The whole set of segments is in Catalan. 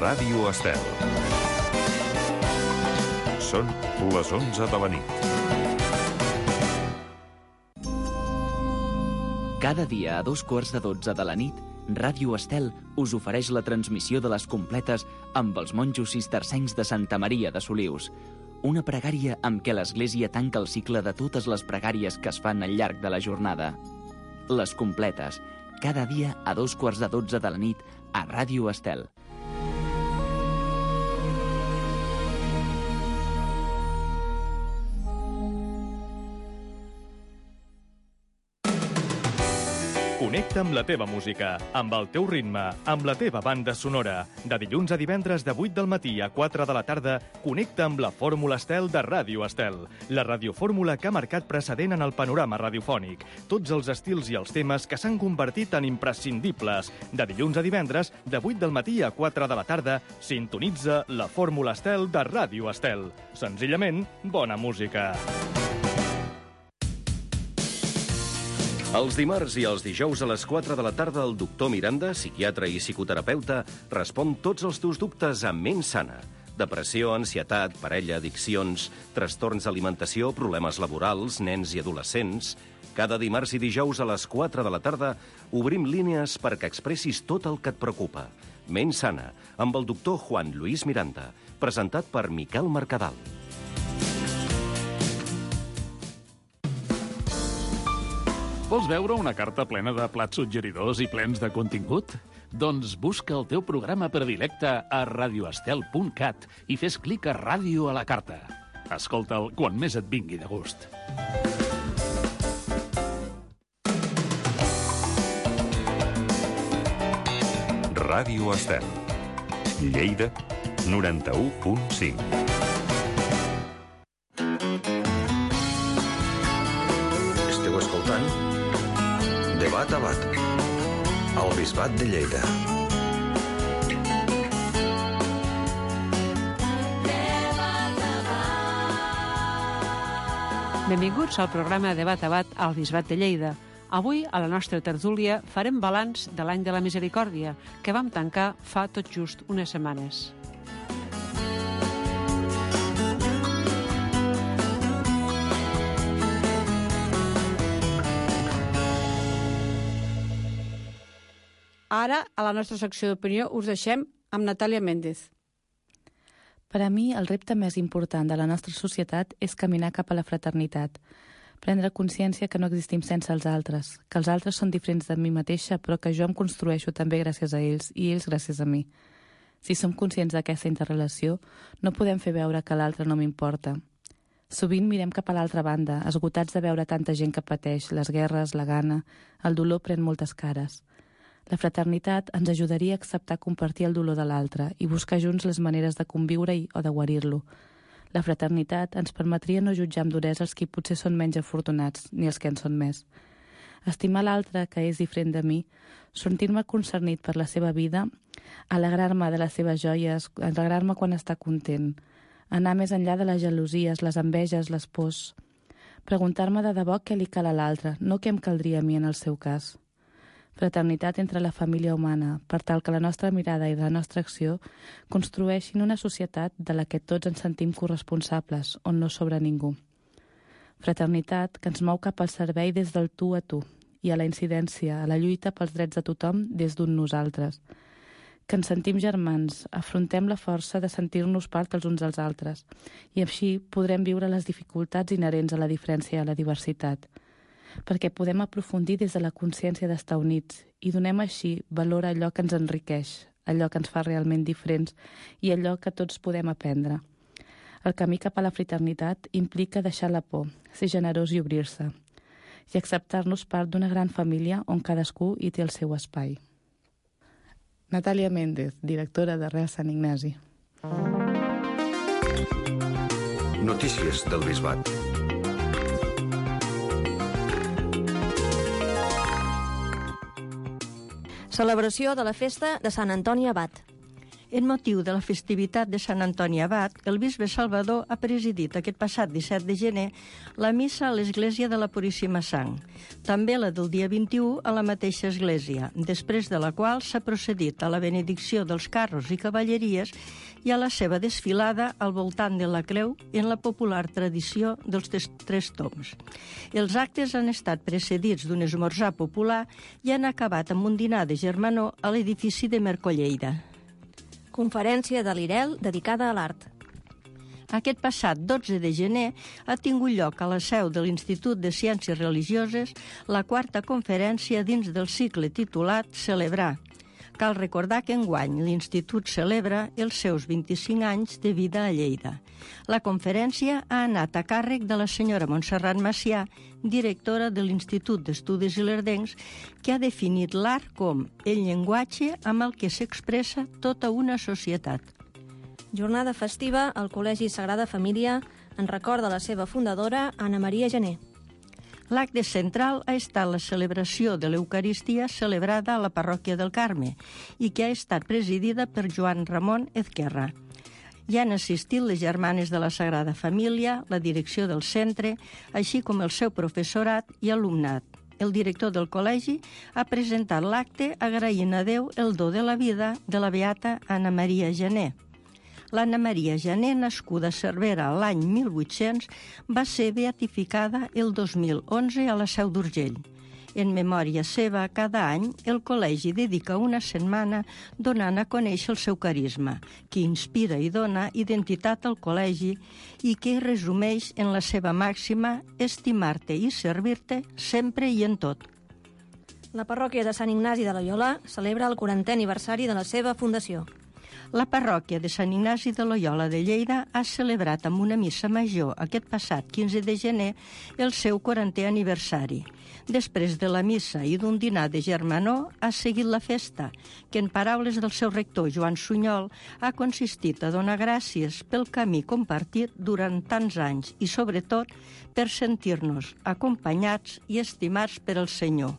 Ràdio Estel. Són les 11 de la nit. Cada dia a 2:15 de la nit, Ràdio Estel us ofereix la transmissió de les completes amb els monjos cistercencs de Santa Maria de Solius. Una pregària amb què l'Església tanca el cicle de totes les pregàries que es fan al llarg de la jornada. Les completes, cada dia a 2:15 de la nit a Ràdio Estel. Connecta amb la teva música, amb el teu ritme, amb la teva banda sonora. De dilluns a divendres de 8 del matí a 4 de la tarda, connecta amb la Fórmula Estel de Ràdio Estel. La radiofórmula que ha marcat precedent en el panorama radiofònic. Tots els estils i els temes que s'han convertit en imprescindibles. De dilluns a divendres, de 8 del matí a 4 de la tarda, sintonitza la Fórmula Estel de Ràdio Estel. Senzillament, bona música. Els dimarts i els dijous a les 4 de la tarda el doctor Miranda, psiquiatre i psicoterapeuta, respon tots els teus dubtes amb ment sana. Depressió, ansietat, parella, addiccions, trastorns d'alimentació, problemes laborals, nens i adolescents. Cada dimarts i dijous a les 4 de la tarda obrim línies perquè expressis tot el que et preocupa. Ment sana, amb el doctor Juan Luis Miranda, presentat per Miquel Mercadal. Vols veure una carta plena de plats suggeridors i plens de contingut? Doncs busca el teu programa predilecte a radioestel.cat i fes clic a Ràdio a la carta. Escolta'l quan més et vingui de gust. Ràdio Estel. Lleida, 91.5. Esteu escoltant Debat a Bat, al Bisbat de Lleida. Benvinguts al programa Debat a Bat al Bisbat de Lleida. Avui, a la nostra tertúlia, farem balanç de l'any de la Misericòrdia, que vam tancar fa tot just unes setmanes. Ara, a la nostra secció d'opinió, us deixem amb Natàlia Méndez. Per a mi, el repte més important de la nostra societat és caminar cap a la fraternitat. Prendre consciència que no existim sense els altres, que els altres són diferents de mi mateixa, però que jo em construeixo també gràcies a ells i ells gràcies a mi. Si som conscients d'aquesta interrelació, no podem fer veure que l'altre no m'importa. Sovint mirem cap a l'altra banda, esgotats de veure tanta gent que pateix, les guerres, la gana, el dolor pren moltes cares. La fraternitat ens ajudaria a acceptar compartir el dolor de l'altre i buscar junts les maneres de conviure-hi o de guarir-lo. La fraternitat ens permetria no jutjar amb duresa els qui potser són menys afortunats, ni els que en són més. Estimar l'altre, que és diferent de mi, sentir-me concernit per la seva vida, alegrar-me de les seves joies, alegrar-me quan està content, anar més enllà de les gelosies, les enveges, les pors, preguntar-me de debò què li cal a l'altre, no què em caldria a mi en el seu cas. Fraternitat entre la família humana, per tal que la nostra mirada i la nostra acció construeixin una societat de la que tots ens sentim corresponsables, on no sobra ningú. Fraternitat que ens mou cap al servei des del tu a tu i a la incidència, a la lluita pels drets de tothom des d'un nosaltres. Que ens sentim germans, afrontem la força de sentir-nos part els uns dels altres i així podrem viure les dificultats inherents a la diferència i a la diversitat. Perquè podem aprofundir des de la consciència d'estar units i donem així valor a allò que ens enriqueix, allò que ens fa realment diferents i allò que tots podem aprendre. El camí cap a la fraternitat implica deixar la por, ser generós i obrir-se, i acceptar-nos part d'una gran família on cadascú hi té el seu espai. Natàlia Méndez, directora de Real Sant Ignasi. Notícies del Bisbat. Celebració de la festa de Sant Antoni Abat. En motiu de la festivitat de Sant Antoni Abat, el bisbe Salvador ha presidit aquest passat 17 de gener la missa a l'església de la Puríssima Sang, també la del dia 21 a la mateixa església, després de la qual s'ha procedit a la benedicció dels carros i cavalleries i a la seva desfilada al voltant de la creu en la popular tradició dels tres tombs. Els actes han estat precedits d'un esmorzar popular i han acabat amb un dinar de germanor a l'edifici de Mercolleida. Conferència de l'IREL dedicada a l'art. Aquest passat 12 de gener ha tingut lloc a la seu de l'Institut de Ciències Religioses la quarta conferència dins del cicle titulat Celebrar. Cal recordar que enguany l'Institut celebra els seus 25 anys de vida a Lleida. La conferència ha anat a càrrec de la senyora Montserrat Macià, directora de l'Institut d'Estudis Ilerdencs, que ha definit l'art com el llenguatge amb el que s'expressa tota una societat. Jornada festiva al Col·legi Sagrada Família en record de la seva fundadora, Anna Maria Gené. L'acte central ha estat la celebració de l'Eucaristia celebrada a la parròquia del Carme i que ha estat presidida per Joan Ramon Ezquerra. Hi han assistit les germanes de la Sagrada Família, la direcció del centre, així com el seu professorat i alumnat. El director del col·legi ha presentat l'acte agraint a Déu el do de la vida de la beata Anna Maria Gené. L'Anna Maria Gené, nascuda a Cervera l'any 1800, va ser beatificada el 2011 a la Seu d'Urgell. En memòria seva, cada any, el col·legi dedica una setmana donant a conèixer el seu carisma, que inspira i dona identitat al col·legi i que resumeix en la seva màxima estimar-te i servir-te sempre i en tot. La parròquia de Sant Ignasi de Loyola celebra el 40è aniversari de la seva fundació. La parròquia de Sant Ignasi de Loyola de Lleida ha celebrat amb una missa major aquest passat 15 de gener el seu 40è aniversari. Després de la missa i d'un dinar de germanor ha seguit la festa, que en paraules del seu rector Joan Sunyol ha consistit a donar gràcies pel camí compartit durant tants anys i sobretot per sentir-nos acompanyats i estimats per el Senyor.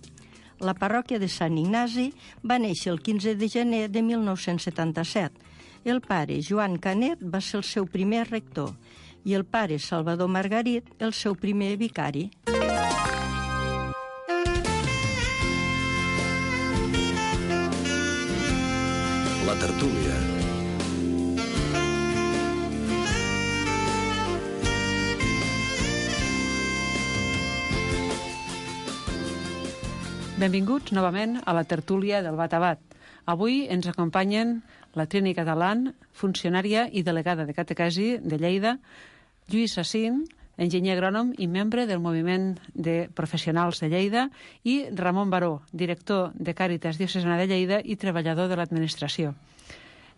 La parròquia de Sant Ignasi va néixer el 15 de gener de 1977. El pare Joan Canet va ser el seu primer rector i el pare Salvador Margarit el seu primer vicari. La tertúlia. Benvinguts novament a la tertúlia del Bat a Bat. Avui ens acompanyen la Trini Catalán, funcionària i delegada de catequesi de Lleida, Lluís Sacín, enginyer agrònom i membre del moviment de professionals de Lleida, i Ramon Baró, director de Càritas Diocesana de Lleida i treballador de l'administració.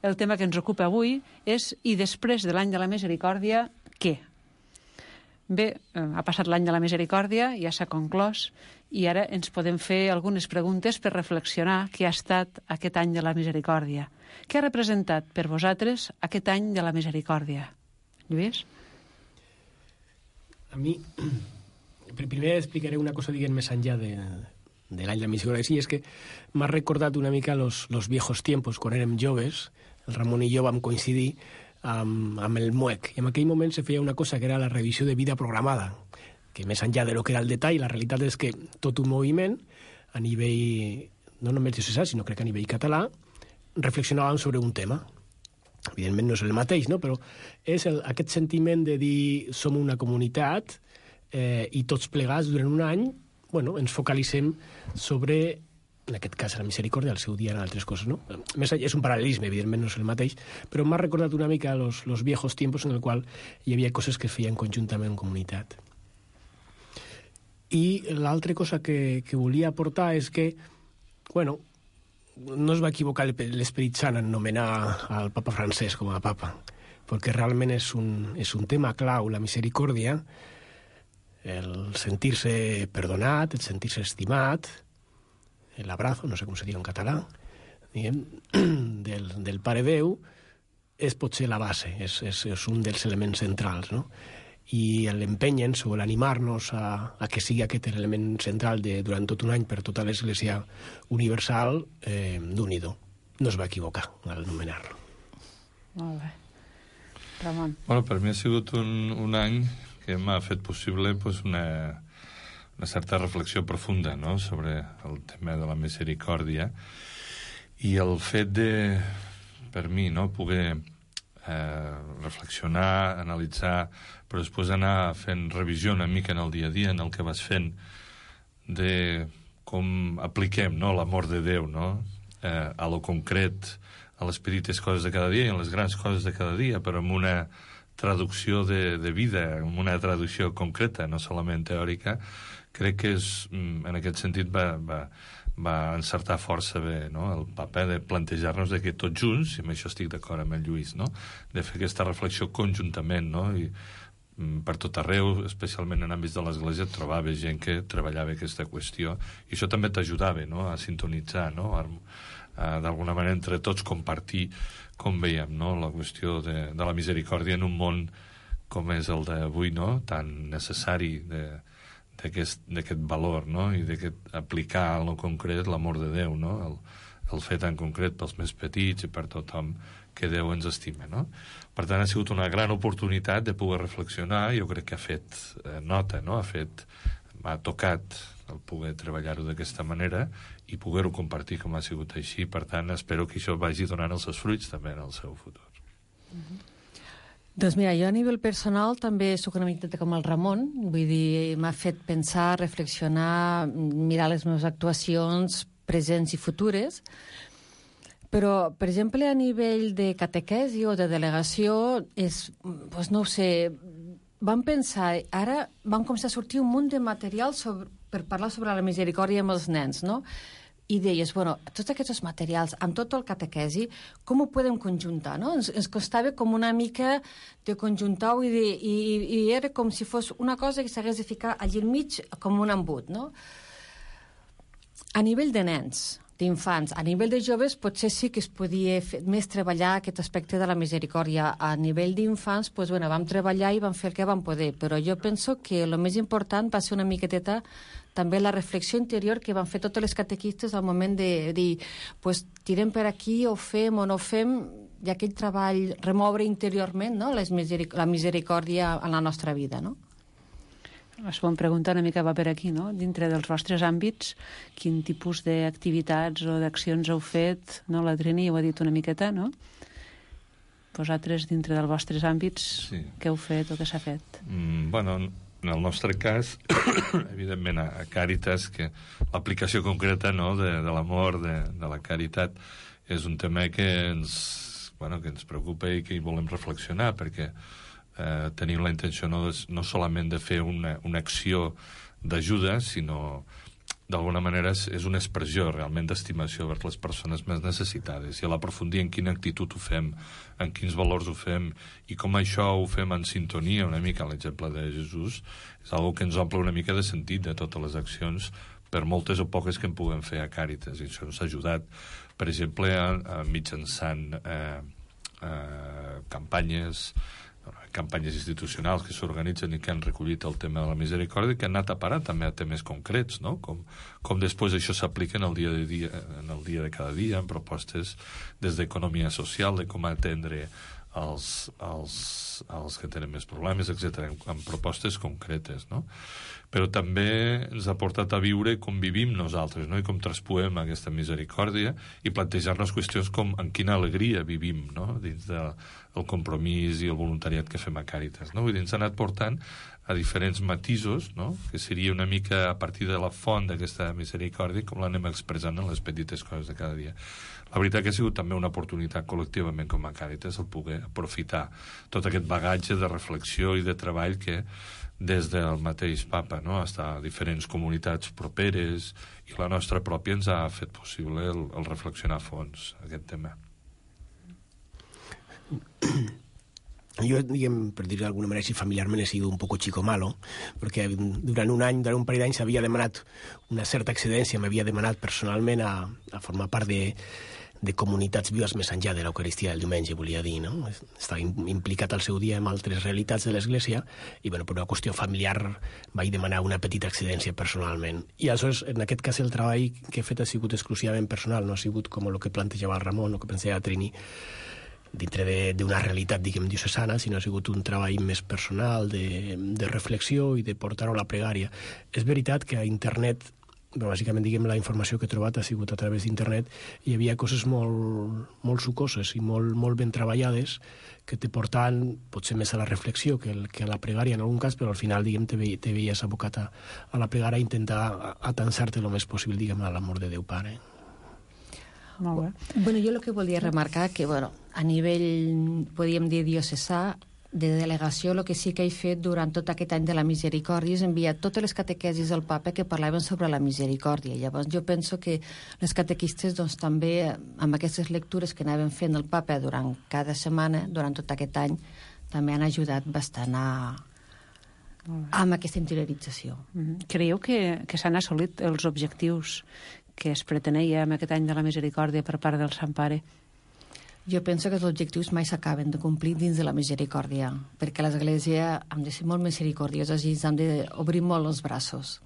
El tema que ens ocupa avui és i després de l'any de la misericòrdia, què? Bé, ha passat l'any de la misericòrdia, ja s'ha conclòs, i ara ens podem fer algunes preguntes per reflexionar què ha estat aquest any de la misericòrdia. Què ha representat per vosaltres aquest any de la misericòrdia? Lluís? A mi, primer explicaré una cosa, diguem, més enllà de l'any de la misericòrdia. Sí, és que m'ha recordat una mica los viejos tiempos, quan érem joves. El Ramon i jo vam coincidir amb el MUEC, i en aquell moment se feia una cosa que era la revisió de vida programada, que més enllà de lo que era el detall, la realitat és que tot un moviment, a nivell, no només diocesà, sinó crec que a nivell català, reflexionàvem sobre un tema. Evidentment no és el mateix, no? Però és aquest sentiment de dir som una comunitat i tots plegats durant un any, bueno, ens focalitzem sobre, en aquest cas la misericòrdia, al seu dia eren altres coses, no? Més és un paral·lelisme, evidentment no és el mateix, però m'ha recordat una mica los viejos tiempos en el qual hi havia coses que es feien conjuntament en comunitat. I l'altra cosa que volia aportar és que, bueno, no es va equivocar l'Esperit Sant en nomenar al papa francès com a papa, perquè realment és un tema clau, la misericòrdia, el sentir-se perdonat, el sentir-se estimat, l'abrazo, no sé com se diu en català, diguem, del Pare Déu, és potser la base, és un dels elements centrals, no? I l'empenyen o l'animar-nos a que sigui aquest element central durant tot un any per tota l'Església Universal, d'un-hi-do. No es va equivocar al nomenar-lo. Molt bé. Ramon. Bueno, per mi ha sigut un any que m'ha fet possible una certa reflexió profunda, no?, sobre el tema de la misericòrdia, i el fet de, per mi, no?, poder reflexionar, analitzar, però després anar fent revisió una mica en el dia a dia, en el que vas fent, de com apliquem, no?, l'amor de Déu, no?, a lo concret, a les petites coses de cada dia i a les grans coses de cada dia, però amb una traducció de vida, amb una traducció concreta, no solament teòrica. Crec que en aquest sentit va encertar força bé, no?, el paper de plantejar-nos que tots junts, i amb això estic d'acord amb el Lluís, no?, de fer aquesta reflexió conjuntament, no?, i per tot arreu, especialment en àmbits de l'Església, trobava gent que treballava aquesta qüestió, i això també t'ajudava, no?, a sintonitzar, no?, d'alguna manera entre tots compartir com veiem, no?, la qüestió de la misericòrdia en un món com és el d'avui, no?, tan necessari d'aquest valor, no?, i d'aplicar en lo concret l'amor de Déu, no?, el fer tan concret pels més petits i per tothom que Déu ens estima, no? Per tant, ha sigut una gran oportunitat de poder reflexionar. Jo crec que ha fet nota, no?, m'ha tocat el poder treballar-ho d'aquesta manera i poder-ho compartir com ha sigut així. Per tant, espero que això vagi donant els seus fruits també en el seu futur. Doncs mira, jo a nivell personal també soc una miqueta com el Ramon, vull dir, m'ha fet pensar, reflexionar, mirar les meves actuacions presents i futures, però, per exemple, a nivell de catequesi o de delegació, doncs no ho sé, vam pensar, ara vam començar a sortir un munt de material per parlar sobre la misericòrdia amb els nens, no? I deies, bueno, tots aquests materials, amb tot el catequesi, com ho podem conjuntar, no? Ens costava com una mica de conjuntar-ho i era com si fos una cosa que s'hagués de ficar allà al mig com un embut, no? A nivell de nens, d'infants, a nivell de joves potser sí que es podia més treballar aquest aspecte de la misericòrdia. A nivell d'infants, doncs, bueno, vam treballar i vam fer el que vam poder, però jo penso que el més important va ser una miqueteta també la reflexió interior que van fer totes les catequistes al moment de dir, pues, tirem per aquí, o fem o no fem, i aquell treball, remoure interiorment, no?, la misericòrdia en la nostra vida, no? La segona pregunta una mica va per aquí, no? Dintre dels vostres àmbits, quin tipus d'activitats o d'accions heu fet, no? La Trini ho ha dit una miqueta, no? Vosaltres, dintre dels vostres àmbits, sí, què heu fet o què s'ha fet? Bueno, en el nostre cas, evidentment a Càritas, que l'aplicació concreta, no?, de l'amor, de la caritat, és un tema que ens preocupa i que hi volem reflexionar, perquè tenim la intenció no solament de fer una acció d'ajuda, sinó d'alguna manera és una expressió realment d'estimació vers les persones més necessitades, i a l'aprofundir en quina actitud ho fem, en quins valors ho fem i com això ho fem en sintonia una mica amb l'exemple de Jesús, és una que ens omple una mica de sentit de totes les accions, per moltes o poques que en puguem fer a Càritas. I això ens ha ajudat, per exemple, mitjançant campanyes institucionals que s'organitzen i que han recollit el tema de la misericòrdia, que han anat a parar també a temes concrets, no? Com després això s'aplica en el dia de cada dia, en propostes des d'economia social, de com atendre els que tenen més problemes, etc., en propostes concretes, no? Però també ens ha portat a viure com vivim nosaltres, no?, i com traspuem aquesta misericòrdia, i plantejar-nos qüestions com en quina alegria vivim, no?, dins del compromís i el voluntariat que fem a Càritas, no? Vull dir, ens ha anat portant a diferents matisos, no?, que seria una mica a partir de la font d'aquesta misericòrdia, com l'anem expressant en les petites coses de cada dia. La veritat que ha sigut també una oportunitat col·lectivament com a Càritas el poder aprofitar tot aquest bagatge de reflexió i de treball que des del mateix papa, no?, fins a diferents comunitats properes, i la nostra pròpia ens ha fet possible el reflexionar a fons aquest tema. Jo, diguem, per dir-ho d'alguna manera, si familiarment he sido un poco chico malo, perquè durant un parell d'anys s'havia demanat una certa excedència, m'havia demanat personalment a formar part de comunitats vives més enllà de l'Eucaristia del diumenge, volia dir, no? Estava implicat al seu dia en altres realitats de l'Església i, bueno, per una qüestió familiar vaig demanar una petita excedència personalment. I aleshores, en aquest cas, el treball que he fet ha sigut exclusivament personal, no ha sigut com el que plantejava el Ramon o que pensava Trini. dintre d'una realitat, diguem, diocesana, sinó ha sigut un treball més personal de reflexió i de portar-ho a la pregària. És veritat que a internet, però bàsicament, diguem, la informació que he trobat ha sigut a través d'internet, hi havia coses molt sucoses i molt ben treballades que te portaven potser més a la reflexió que a la pregària en algun cas, però al final, diguem, te veies abocat a la pregària a intentar atansar-te el més possible, diguem, a l'amor de Déu Pare. Molt bé. Bueno, jo el que volia remarcar que, bueno, a nivell, podríem dir, diocesà, de delegació, el que sí que he fet durant tot aquest any de la misericòrdia és enviar totes les catequesis al papa que parlaven sobre la misericòrdia. Llavors jo penso que les catequistes doncs, també amb aquestes lectures que anaven fent el papa durant cada setmana, durant tot aquest any, també han ajudat bastant amb aquesta interiorització. Creieu que s'han assolit els objectius que es pretenia amb aquest any de la misericòrdia per part del Sant Pare? Jo penso que els objectius mai s'acaben de complir dins de la misericòrdia, perquè l'Església hem de ser molt misericordiosos i ens hem d'obrir molt els braços.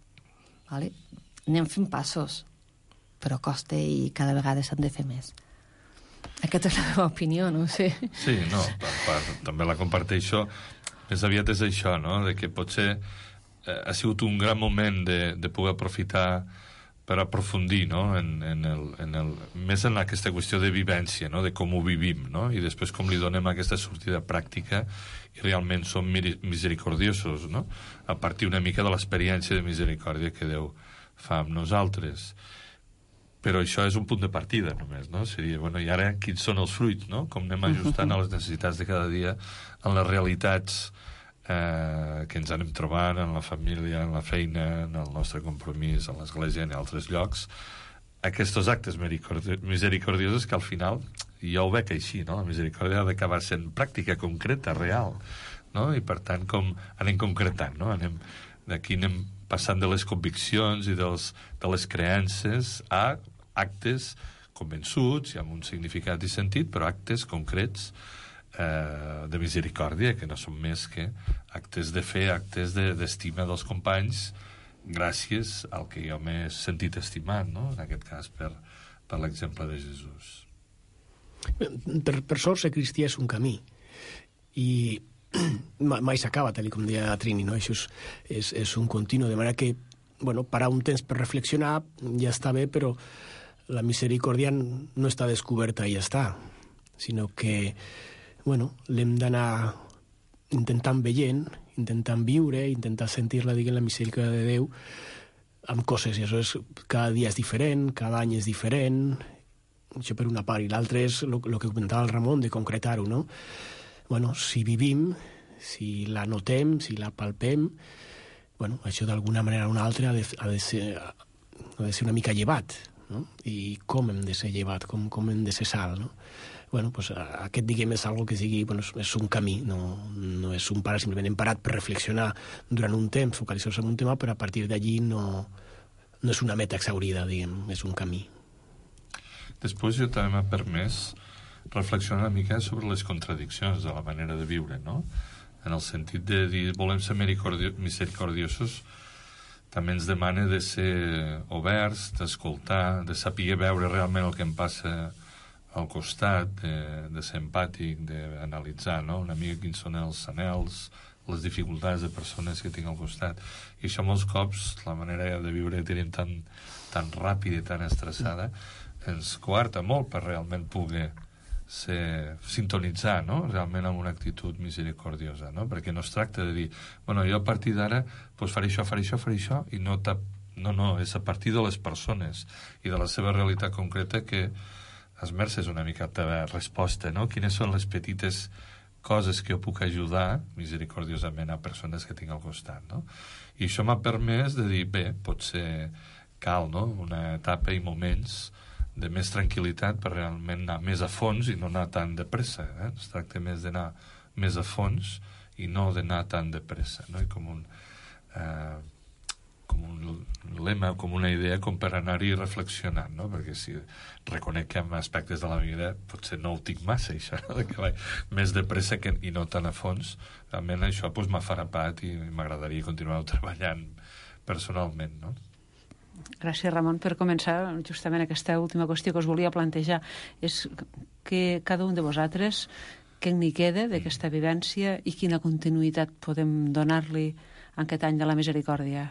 Vale? Anem fent passos, però costa i cada vegada s'han de fer més. Aquesta és la meva opinió, no ho sé. Sí, no, també la comparteixo. Més aviat és això, no?, de que potser ha sigut un gran moment de poder aprofitar per aprofundir, no?, més en aquesta qüestió de vivència, no?, de com ho vivim, no?, i després com li donem aquesta sortida pràctica i realment som misericordiosos, no?, a partir una mica de l'experiència de misericòrdia que Déu fa amb nosaltres. Però això és un punt de partida només, no? Seria, bueno, i ara quins són els fruits, no?, com anem ajustant a les necessitats de cada dia, en les realitats que ens anem trobant en la família, en la feina, en el nostre compromís, en l'església i en altres llocs, aquests actes misericordiosos que al final, jo ho veig així, no?, la misericòrdia ha d'acabar sent pràctica, concreta, real, no?, i per tant com anem concretant, no?, d'aquí anem passant de les conviccions i de les creences a actes convençuts i amb un significat i sentit, però actes concrets de misericòrdia, que no són més que actes de fe, actes d'estima dels companys, gràcies al que jo m'he sentit estimat, no?, en aquest cas per l'exemple de Jesús. Per sort, ser cristià és un camí i mai s'acaba, tal com deia Trini, no? Això és un continu, de manera que, bueno, parar un temps per reflexionar ja està bé, però la misericòrdia no està descoberta i ja està, sinó que, bueno, l'hem d'anar intentant veient, intentant viure, intentar sentir-la, diguem, la misericòrdia de Déu amb coses, i això és, cada dia és diferent, cada any és diferent, això per una part, i l'altra és el que comentava el Ramon, de concretar-ho, no? Bueno, si vivim, si la notem, si la palpem, bueno, això d'alguna manera o una altra ha de ser una mica llevat, no? I com hem de ser llevat, com hem de ser sal, no? Bueno, pues aquest, diguem, és algo que sigui, bueno, és un camí, no és un parar, simplement hem parat per reflexionar durant un temps, focalitzar-se en un tema, però a partir d'allí no és una meta exhaurida, diguem, és un camí. Després jo també m'ha permès reflexionar una mica sobre les contradiccions de la manera de viure, no? En el sentit de dir, volem ser misericordiosos, també ens demana de ser oberts, d'escoltar, de saber veure realment el que em passa al costat, de ser empàtic, d'analitzar, no?, una mica quins són els anhels, les dificultats de persones que tinc al costat. I això molts cops, la manera de viure que tenim tan ràpida i tan estressada, ens coarta molt per realment poder sintonitzar, no?, realment amb una actitud misericordiosa, no?, perquè no es tracta de dir, bueno, jo a partir d'ara pues faré això, i no, és a partir de les persones i de la seva realitat concreta que esmerces una mica de resposta, no?, quines són les petites coses que jo puc ajudar misericordiosament a persones que tinc al costat, no? I això m'ha permès de dir, bé, potser cal, no?, una etapa i moments de més tranquil·litat per realment anar més a fons i no anar tan de pressa, es tracta més d'anar més a fons i no d'anar tan de pressa, no? I com un lema, com una idea, com per anar-hi reflexionant, no? Perquè si reconec que en aspectes de la vida potser no ho tinc massa, això, no? Que vaig més de pressa i no tan a fons, realment això m'ha farapat i m'agradaria continuar treballant personalment, no? Gràcies, Ramon. Per començar, justament aquesta última qüestió que us volia plantejar és que cada un de vosaltres, què n'hi queda d'aquesta vivència i quina continuïtat podem donar-li en aquest any de la misericòrdia?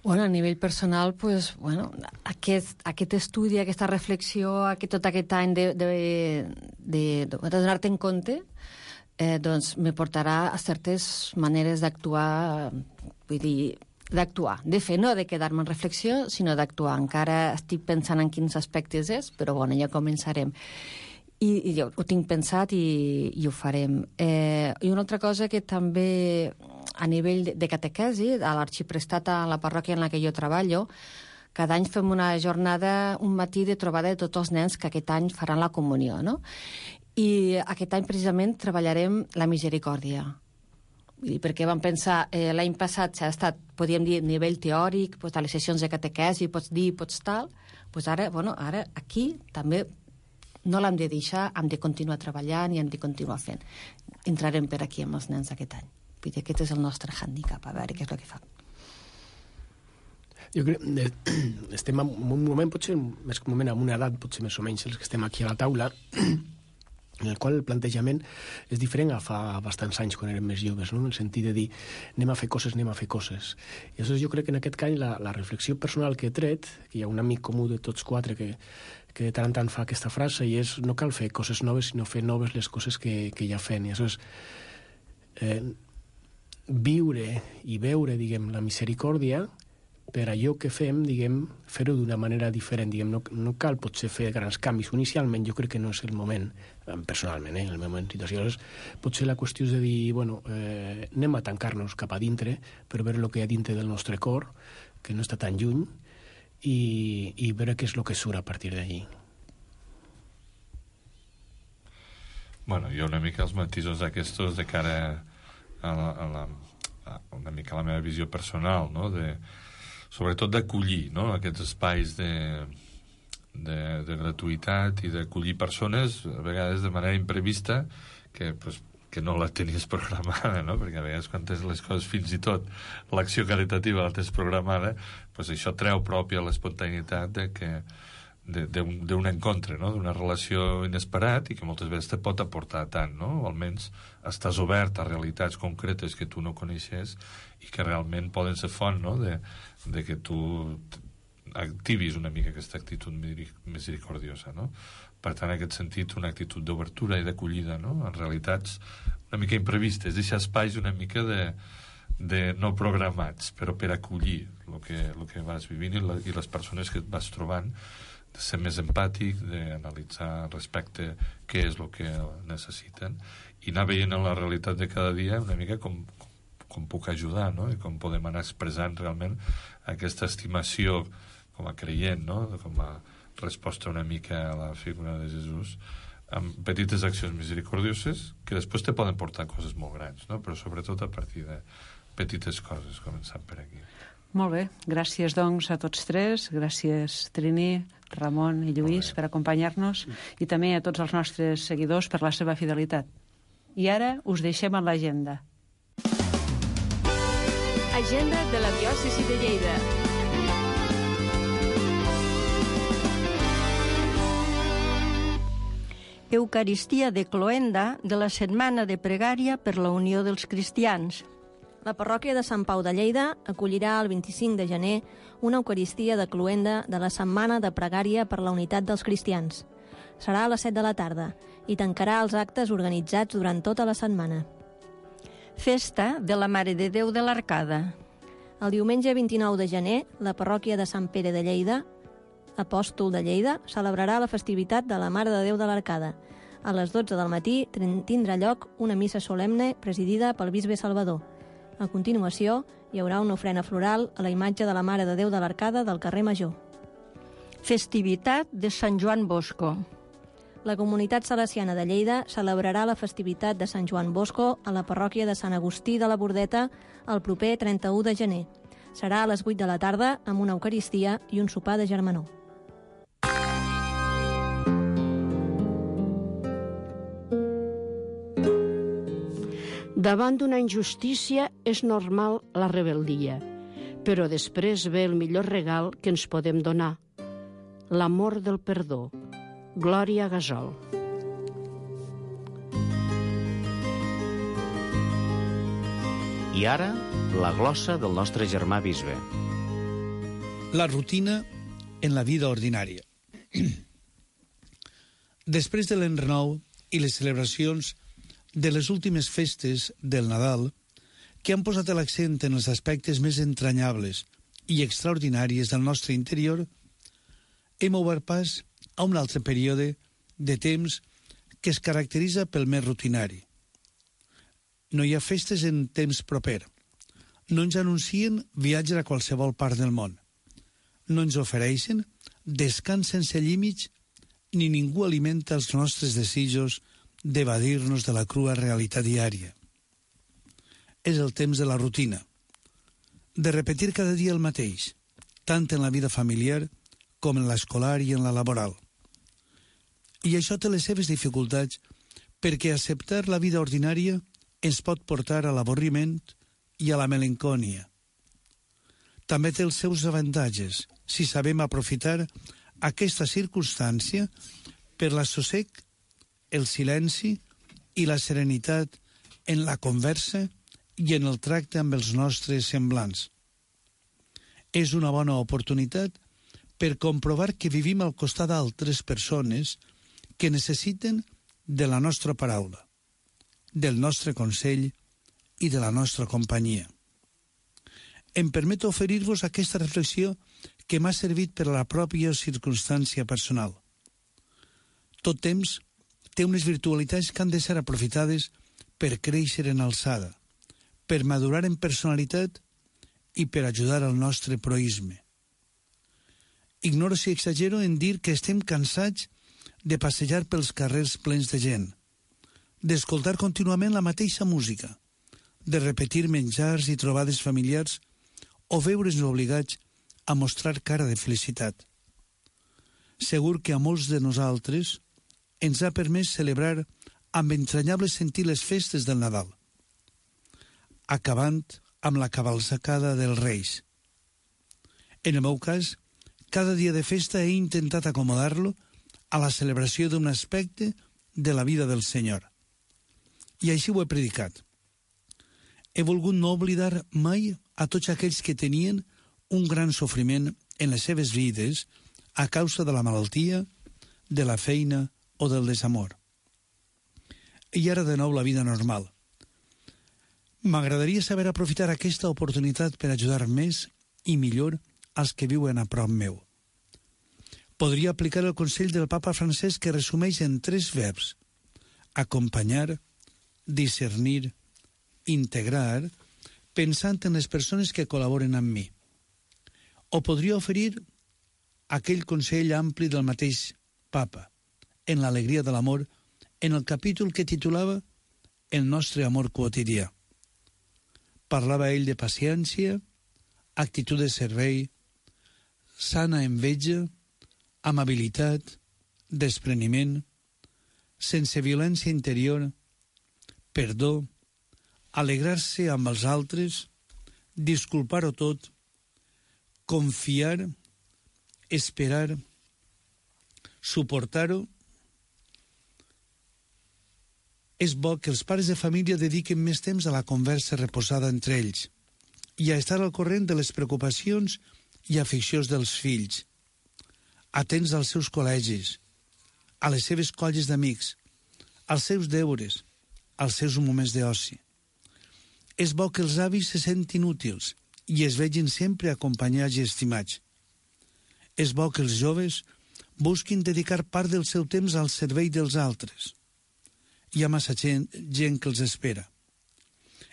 Bueno, a nivell personal, pues, bueno, aquest estudi, aquesta reflexió, tot aquest any de donar-te en compte, doncs me portarà a certes maneres d'actuar, vull dir, de fer, no de quedar-me en reflexió, sinó d'actuar. Encara estic pensant en quins aspectes és, però bueno, ja començarem. I jo ho tinc pensat i ho farem. I una altra cosa que també a nivell de catequesi, a l'arxiprestat a la parròquia en la que jo treballo, cada any fem una jornada, un matí de trobada de tots els nens que aquest any faran la comunió, no? I aquest any precisament treballarem la misericòrdia. Perquè vam pensar, l'any passat s'ha estat, podríem dir, a nivell teòric, doncs, a les sessions de catequesi, pots dir, pots tal, doncs ara aquí també no l'hem de deixar, hem de continuar treballant i hem de continuar fent. Entrarem per aquí amb els nens aquest any. Vull dir, aquest és el nostre hàndicap, a veure què és el que fa. Jo crec que estem en un moment, potser més que un moment, en una edat, potser més o menys, els que estem aquí a la taula, en el qual el plantejament és diferent a fa bastants anys, quan érem més joves, no? En el sentit de dir, anem a fer coses. I aleshores jo crec que en aquest any la reflexió personal que he tret, que hi ha un amic comú de tots quatre que de tant en tant fa aquesta frase, i és, no cal fer coses noves, sinó fer noves les coses que ja fem. I aleshores, viure i veure, diguem, la misericòrdia, per allò que fem, diguem, fer-ho d'una manera diferent. Diguem, no cal potser fer grans canvis. Inicialment jo crec que no és el moment, personalment, en el meu moment de situació. Potser la qüestió és de dir, bueno, anem a tancar-nos cap a dintre per veure el que hi ha dintre del nostre cor, que no està tan lluny, i veure què és el que surt a partir d'allí. Bueno, jo una mica els matisos aquests de cara a una mica a la meva visió personal, no?, sobretot d'acollir, no?, aquests espais de gratuïtat i d'acollir persones, a vegades de manera imprevista, que no la tenies programada, no?, perquè a vegades quan tens les coses, fins i tot l'acció caritativa la tens programada, doncs això treu pròpia l'espontaneïtat d'un encontre, no?, d'una relació inesperat i que moltes vegades te pot aportar tant, no?, o almenys estàs obert a realitats concretes que tu no coneixes i que realment poden ser font, no?, de que tu activis una mica aquesta actitud misericordiosa, no? Per tant, en aquest sentit, una actitud d'obertura i d'acollida, no?, en realitats una mica imprevistes, deixar espais una mica de no programats, però per acollir el que vas vivint i les persones que et vas trobant, de ser més empàtic, d'analitzar respecte què és el que necessiten i anar veient en la realitat de cada dia una mica com puc ajudar, no?, i com podem anar expressant realment aquesta estimació com a creient, no?, com a resposta una mica a la figura de Jesús, amb petites accions misericordioses que després te poden portar coses molt grans, no?, però sobretot a partir de petites coses, començant per aquí. Molt bé, gràcies doncs a tots tres, gràcies Trini, Ramon i Lluís per acompanyar-nos i també a tots els nostres seguidors per la seva fidelitat. I ara us deixem en l'agenda. Agenda de la diòcesi de Lleida. Eucaristia de cloenda de la Setmana de Pregària per la Unió dels Cristians. La parròquia de Sant Pau de Lleida acollirà el 25 de gener una Eucaristia de cloenda de la Setmana de Pregària per la Unitat dels Cristians. Serà a les 7 de la tarda i tancarà els actes organitzats durant tota la setmana. Festa de la Mare de Déu de l'Arcada. El diumenge 29 de gener, la parròquia de Sant Pere de Lleida, apòstol de Lleida, celebrarà la festivitat de la Mare de Déu de l'Arcada. A les 12 del matí tindrà lloc una missa solemne presidida pel bisbe Salvador. A continuació, hi haurà una ofrena floral a la imatge de la Mare de Déu de l'Arcada del carrer Major. Festivitat de Sant Joan Bosco. La comunitat salesiana de Lleida celebrarà la festivitat de Sant Joan Bosco a la parròquia de Sant Agustí de la Bordeta el proper 31 de gener. Serà a les 8 de la tarda amb una Eucaristia i un sopar de germanor. Davant d'una injustícia és normal la rebel·lia, Però després ve el millor regal que ens podem donar, l'amor del perdó. Glòria Gasol. I ara, la glossa del nostre germà bisbe. La rutina en la vida ordinària. Després de l'any nou i les celebracions de les últimes festes del Nadal, que han posat l'accent en els aspectes més entranyables i extraordinaris del nostre interior, hem obert pas a un altre període de temps que es caracteritza pel més rutinari. No hi ha festes en temps proper. No ens anuncien viatge a qualsevol part del món. No ens ofereixen descans sense límits ni ningú alimenta els nostres desitjos d'evadir-nos de la crua realitat diària. És el temps de la rutina, de repetir cada dia el mateix, tant en la vida familiar com en l'escolar i en la laboral. I això té les seves dificultats perquè acceptar la vida ordinària ens pot portar a l'avorriment i a la melancòlia. També té els seus avantatges si sabem aprofitar aquesta circumstància per l'assossec, el silenci i la serenitat en la conversa i en el tracte amb els nostres semblants. És una bona oportunitat per comprovar que vivim al costat d'altres persones que necessiten de la nostra paraula, del nostre consell i de la nostra companyia. Em permeto oferir-vos aquesta reflexió que m'ha servit per a la pròpia circumstància personal. Tot temps té unes virtualitats que han de ser aprofitades per créixer en alçada, per madurar en personalitat i per ajudar al nostre proisme. Ignoro si exagero en dir que estem cansats de passejar pels carrers plens de gent, d'escoltar contínuament la mateixa música, de repetir menjars i trobades familiars o veure's obligats a mostrar cara de felicitat. Segur que a molts de nosaltres ens ha permès celebrar amb entranyable sentit les festes del Nadal, acabant amb la cavalcada dels Reis. En el meu cas, cada dia de festa he intentat acomodar-lo a la celebració d'un aspecte de la vida del Senyor. I així ho he predicat. He volgut no oblidar mai a tots aquells que tenien un gran sofriment en les seves vides a causa de la malaltia, de la feina o del desamor. I ara de nou la vida normal. M'agradaria saber aprofitar aquesta oportunitat per ajudar més i millor als que viuen a prop meu. Podria aplicar el consell del papa Francesc que resumeix en 3 verbs: acompanyar, discernir, integrar, pensant en les persones que col·laboren amb mi. O podria oferir aquell consell ampli del mateix papa, en l'alegria de l'amor, en el capítol que titulava El nostre amor quotidià. Parlava ell de paciència, actitud de servei, sana enveja, amabilitat, despreniment, sense violència interior, perdó, alegrar-se amb els altres, disculpar-ho tot, confiar, esperar, suportar-ho. És bo que els pares de família dediquen més temps a la conversa reposada entre ells i a estar al corrent de les preocupacions i aficions dels fills, atents als seus col·legis, a les seves colles d'amics, als seus deures, als seus moments d'oci. És bo que els avis se sentin útils i es vegin sempre acompanyats i estimats. És bo que els joves busquin dedicar part del seu temps al servei dels altres. Hi ha massa gent que els espera.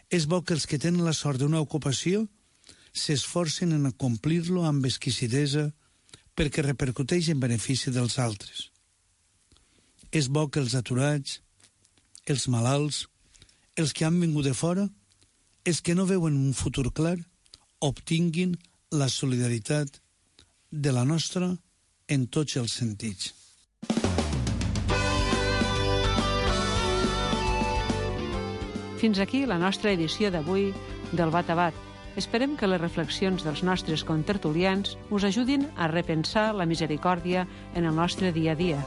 És bo que els que tenen la sort d'una ocupació s'esforcen en acomplir-lo amb exquisidesa perquè repercuteix en benefici dels altres. És bo que els aturats, els malalts, els que han vingut de fora, els que no veuen un futur clar, obtinguin la solidaritat de la nostra en tots els sentits. Fins aquí la nostra edició d'avui del Bat a Bat. Esperem que les reflexions dels nostres contertulians us ajudin a repensar la misericòrdia en el nostre dia a dia.